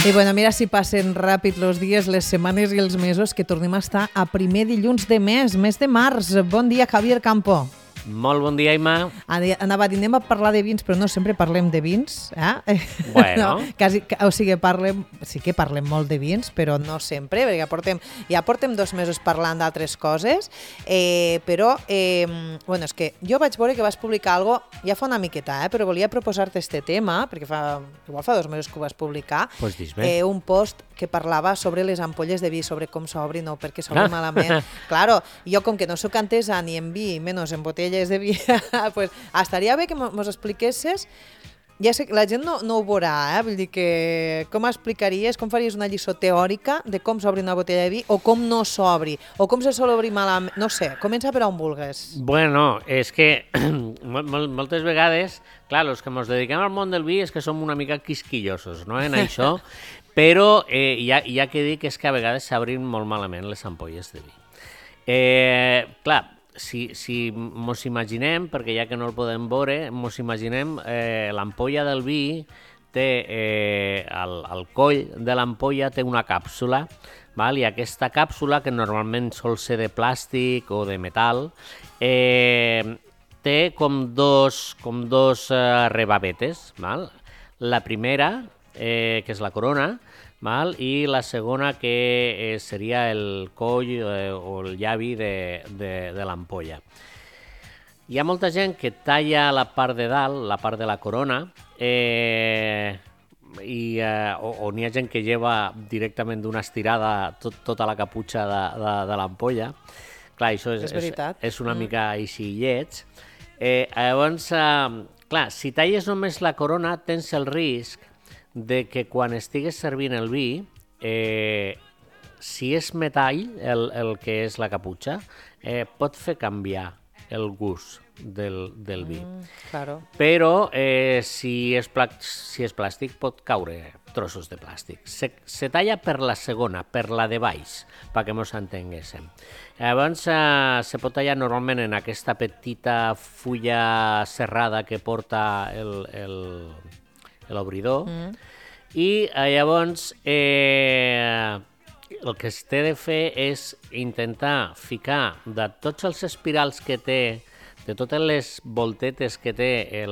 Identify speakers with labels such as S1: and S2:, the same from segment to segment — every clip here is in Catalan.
S1: I bueno, mira si passen ràpid els dies, les setmanes i els mesos, que tornem a estar a primer dilluns de mes de març. Bon dia, Javier Campo.
S2: Molt bon dia, Imma.
S1: Anava a dir, anem a parlar de vins, però no sempre parlem de vins.
S2: Bueno.
S1: Sí que parlem molt de vins, però no sempre, perquè ja portem 2 mesos parlant d'altres coses, però bueno, és que jo vaig veure que vas publicar algo ja fa una miqueta, però volia proposar-te este tema, perquè igual fa 2 mesos que ho vas publicar,
S2: Pues dis-me.
S1: Un post que parlava sobre les ampolles de vi, sobre com s'obrin o per què s'obrin malament. Claro, jo com que no sóc entesa ni en vi, menys en botelles de vi, pues estaria bé que mos expliquessis. Ja sé que la gent no ho veurà, vull dir que com explicaries, com faries una lliçó teòrica de com s'obri una botella de vi o com no s'obri, o com se sol obrir malament, no sé, comença per on vulgues.
S2: Bueno, és que moltes vegades, clar, els que ens dediquem al món del vi és que som una mica quisquillosos, no?, en això, però hi ha que dir que és que a vegades s'obrin molt malament les ampolles de vi. Clar, si mos imaginem, perquè ja que no el podem veure, mos imaginem l'ampolla del vi té, al coll de l'ampolla té una càpsula, val? I aquesta càpsula, que normalment sol ser de plàstic o de metal, té com dos rebabetes, val? La primera, que és la corona, val? I la segona que seria el coll o el llavi de l'ampolla. Hi ha molta gent que talla la part de dalt, la part de la corona, o n'hi ha gent que lleva directament d'una estirada tota la caputxa de l'ampolla. Clar, això és una mica així lleig. Llavors, clar, si talles només la corona, tens el risc de que quan estigues servint el vi, si és metall, el que és la caputxa, pot fer canviar el gust del vi.
S1: Claro.
S2: Però si és plàstic, pot caure trossos de plàstic. Se talla per la segona, per la de baix, perquè ens entenguéssim. Llavors, se pot tallar normalment en aquesta petita fulla serrada que porta l'obridor, i llavors el que es té de fer és intentar ficar de tots els espirals que té, de totes les voltetes que té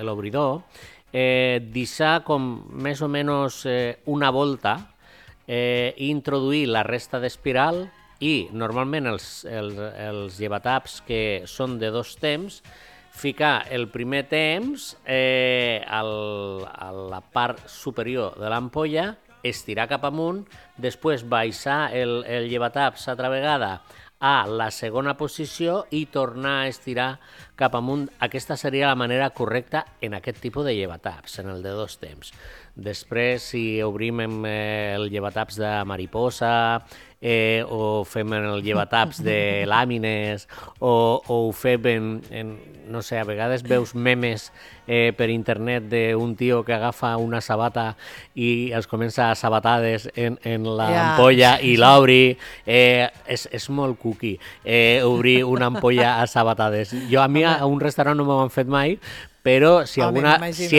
S2: l'obridor, deixar com més o menys una volta i introduir la resta d'espiral, i normalment els llevataps que són de 2 temps, ficar el primer temps a la part superior de l'ampolla, estirar cap amunt, després baixar el llevataps altra vegada a la segona posició i tornar a estirar cap amunt. Aquesta seria la manera correcta en aquest tipus de llevataps, en el de 2 temps. Després, si obrim el llevataps de mariposa, o fem el llevataps de làmines, o ho fem no sé, a vegades veus memes per internet d'un tio que agafa una sabata i es comença a sabatades en l'ampolla i l'obri. És molt cuqui obrir una ampolla a sabatades. A mi a un restaurant no m'ho han fet mai, però si alguna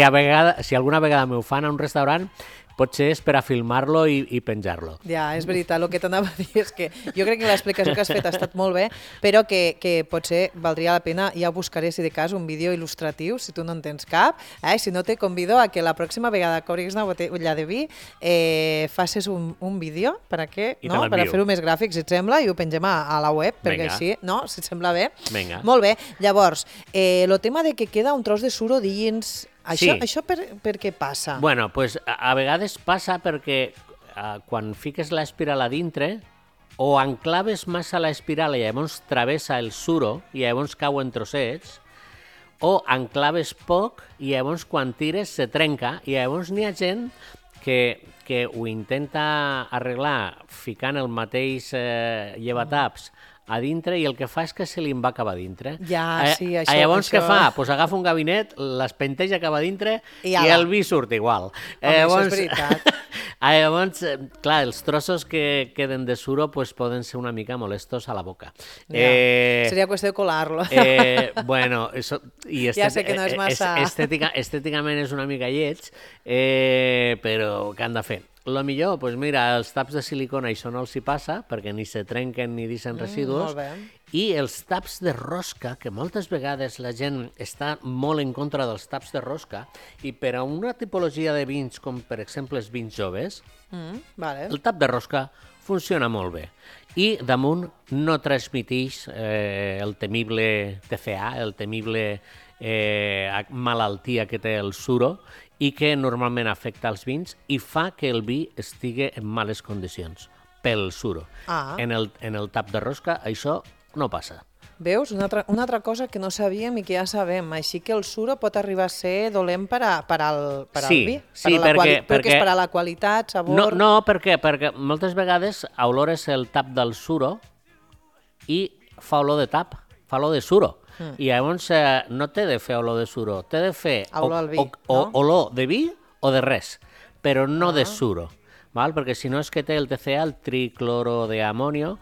S2: vegada m'ho fan a un restaurant, potser és per a filmar-lo i penjar-lo.
S1: Ja, és veritat, el que t'anava a dir és que jo crec que l'explicació que has fet ha estat molt bé, però que potser valdria la pena, ja buscaré, si de cas, un vídeo il·lustratiu, si tu no en tens cap, si no te convido a que la pròxima vegada que obris una botella de vi facis un vídeo per a fer-ho més gràfic, si et sembla, i ho pengem a la web, perquè així, no? Si et sembla bé?
S2: Vinga.
S1: Molt bé. Llavors, el tema de que queda un tros de suro dins... Això per què passa?
S2: Bueno, pues a vegades passa perquè quan fiques l'espiral a dintre, o enclaves massa l'espiral i llavors travessa el suro i llavors cau en trossets, o enclaves poc i llavors quan tires se trenca, i llavors n'hi ha gent que ho intenta arreglar ficant el mateix llevataps a dintre, i el que fa és que se li va acabar dintre.
S1: Sí, això...
S2: Llavors què fa? Pues agafa un gabinet, l'espenteja cap a dintre i el vi surt igual.
S1: Això és veritat.
S2: Llavors, clar, els trossos que queden de suro pues, poden ser una mica molestos a la boca.
S1: Seria qüestió de colar-lo.
S2: Bueno, eso,
S1: ja sé que no és massa...
S2: Estèticament és una mica lleig, però què han de fer? Lo millor, doncs mira, els taps de silicona això no els hi passa, perquè ni se trenquen ni deixen residus, i els taps de rosca, que moltes vegades la gent està molt en contra dels taps de rosca, i per a una tipologia de vins, com per exemple els vins joves, el tap de rosca funciona molt bé. I damunt no transmiteix el temible TCA, el temible malaltia que té el suro, i que normalment afecta els vins i fa que el vi estigui en males condicions pel suro. En el tap de rosca això no passa.
S1: Veus? Una altra cosa que no sabíem i que ja sabem. Així que el suro pot arribar a ser dolent per al vi.
S2: Sí, perquè
S1: és per a la qualitat, sabor...
S2: No, perquè moltes vegades olores el tap del suro i fa olor de tap, fa olor de suro. I llavors no té de fer olor de suro, té de fer olor de vi o de res, però no de suro. Val? Perquè si no és que té el TCA, el triclorodeamonio,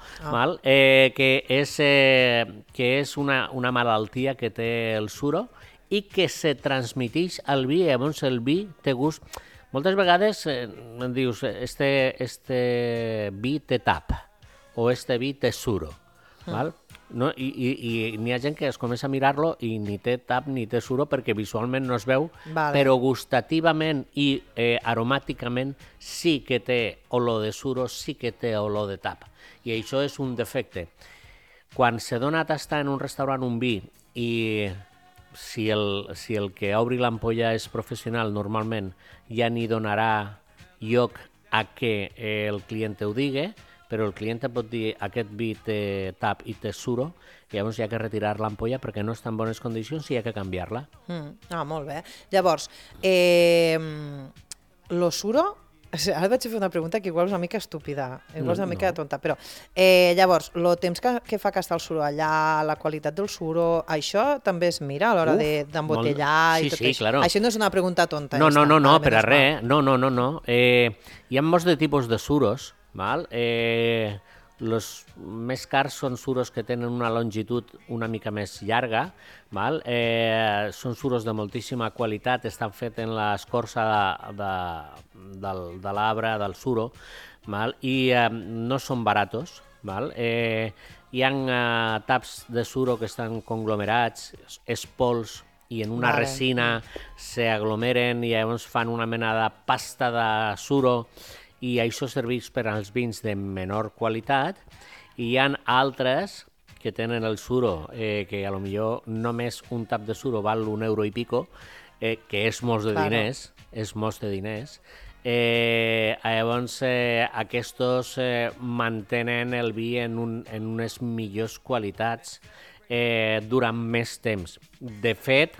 S2: que és una malaltia que té el suro i que se transmiteix al vi, llavors el vi té gust. Moltes vegades em dius, este vi té tap o este vi té suro, val? No? I n'hi ha gent que es comença a mirar-lo i ni té tap ni té suro perquè visualment no es veu, però gustativament i aromàticament sí que té olor de suro, sí que té olor de tap. I això és un defecte. Quan se dona a tastar en un restaurant un vi i si el que obri l'ampolla és professional, normalment ja n'hi donarà lloc a que el client ho digui, però el client pot dir aquest vi té tap i té suro, i llavors hi ha que retirar l'ampolla perquè no està en bones condicions i hi ha que canviar-la.
S1: Molt bé. Llavors, lo suro... Ara vaig fer una pregunta que igual és una mica estúpida, igual és una mica tonta, però llavors, el temps que fa que està el suro allà, la qualitat del suro, això també es mira a l'hora d'embotellar i tot això?
S2: Claro.
S1: Això no és una pregunta tonta.
S2: No, per a res. No. Hi ha molts de tipus de suros, val? Els més cars són suros que tenen una longitud una mica més llarga, val? Són suros de moltíssima qualitat, estan fets en l'escorça de l'arbre, del suro, val? I no són baratos. Val? Hi ha taps de suro que estan conglomerats, és pols, i en una resina s'aglomeren i llavors fan una mena de pasta de suro, i això serveix per als vins de menor qualitat, i hi ha altres que tenen el suro, que a lo millor només un tap de suro val €1 i pico, que és molts de diners, llavors aquests mantenen el vi en unes millors qualitats durant més temps. De fet,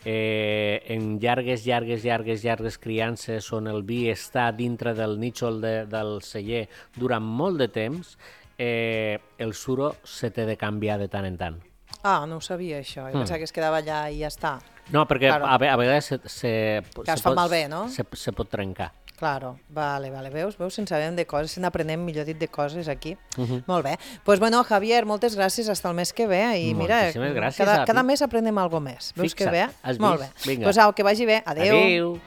S2: en llargues criances on el vi està dintre del nítxol del celler durant molt de temps, el suro se té de canviar de tant en tant.
S1: No ho sabia això, jo pensava que es quedava allà i ja està.
S2: No, perquè a vegades
S1: es fa malbé, no?
S2: Se pot trencar.
S1: Claro, vale, veus, se'n sabem de coses, se'n aprenem, millor dit, de coses aquí. Molt bé. Doncs bueno, Javier, moltes gràcies, fins el mes que ve, i mira,
S2: gràcies,
S1: cada mes aprenem alguna més. Veus que bé?
S2: Has
S1: molt
S2: vist?
S1: Bé. Doncs au, que vagi bé. Adéu.